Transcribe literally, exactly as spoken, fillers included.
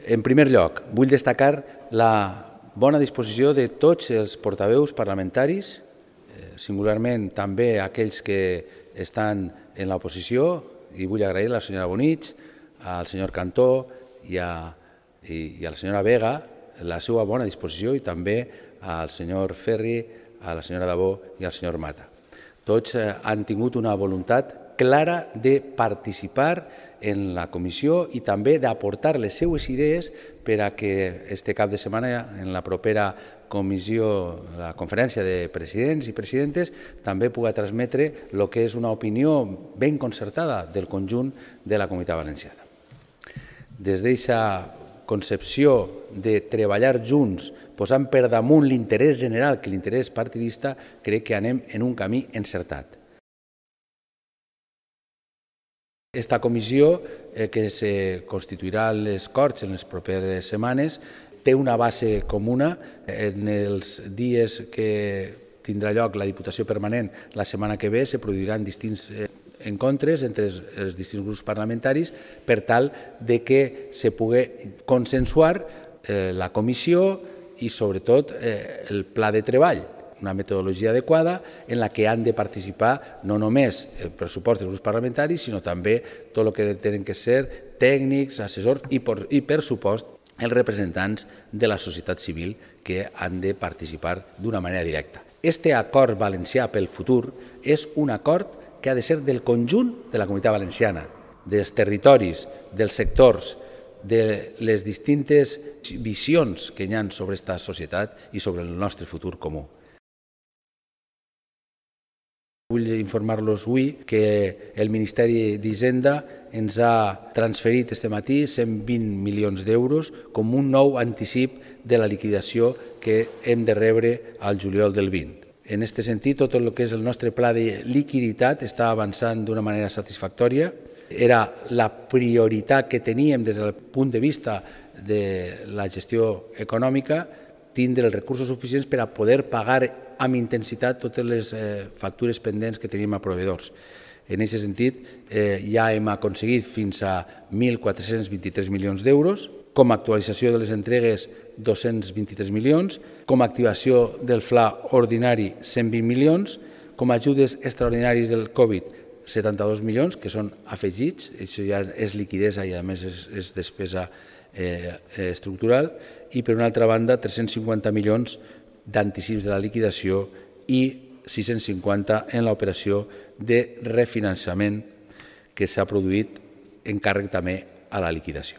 En primer lloc, vull destacar la bona disposició de tots els portaveus parlamentaris, singularment també aquells que estan en l'oposició, i vull agrair a la senyora Bonich, al senyor Cantó i a, i, i a la senyora Vega la seva bona disposició i també al senyor Ferri, a la senyora Dabó i al senyor Mata. Tots han tingut una voluntat clara de participar en la comissió i també d'aportar les seues idees per a que este cap de setmana, en la propera comissió, la conferència de presidents i presidentes, també pugui transmetre el que és una opinió ben concertada del conjunt de la Comunitat Valenciana. Des d'aquesta concepció de treballar junts, posant per damunt l'interès general que l'interès partidista, crec que anem en un camí encertat. Esta comissió, eh, que se constituirà a les Corts en les properes setmanes, té una base comuna. En els dies que tindrà lloc la Diputació Permanent la setmana que ve se produiran distints eh, encontres entre els, els distints grups parlamentaris per tal de que se pugui consensuar eh, la comissió i sobretot eh, el pla de treball, una metodologia adequada en la que han de participar no només el pressupost dels grups parlamentaris, sinó també tot el que tenen que ser tècnics, assessors i, per, i per supost, els representants de la societat civil que han de participar d'una manera directa. Este acord valencià pel futur és un acord que ha de ser del conjunt de la Comunitat Valenciana, dels territoris, dels sectors, de les distintes visions que hi ha sobre aquesta societat i sobre el nostre futur comú. Vull informar-los avui que el Ministeri d'Hisenda ens ha transferit este matí cent vint milions d'euros com un nou anticip de la liquidació que hem de rebre al juliol del vint. En aquest sentit, tot el que és el nostre pla de liquiditat està avançant d'una manera satisfactòria. Era la prioritat que teníem des del punt de vista de la gestió econòmica, tindre els recursos suficients per a poder pagar amb intensitat totes les eh, factures pendents que tenim a proveïdors. En aquest sentit, eh, ja hem aconseguit fins a mil quatre-cents vint-i-tres milions d'euros, com a actualització de les entregues dos-cents vint-i-tres milions, com a activació del F L A ordinari cent vint milions, com a ajudes extraordinaris del Covid setanta-dos milions, que són afegits, això ja és liquidesa i a més és, és despesa eh, estructural, i per una altra banda tres-cents cinquanta milions d'anticips de la liquidació i sis-cents cinquanta en l'operació de refinançament que s'ha produït en càrrec també a la liquidació.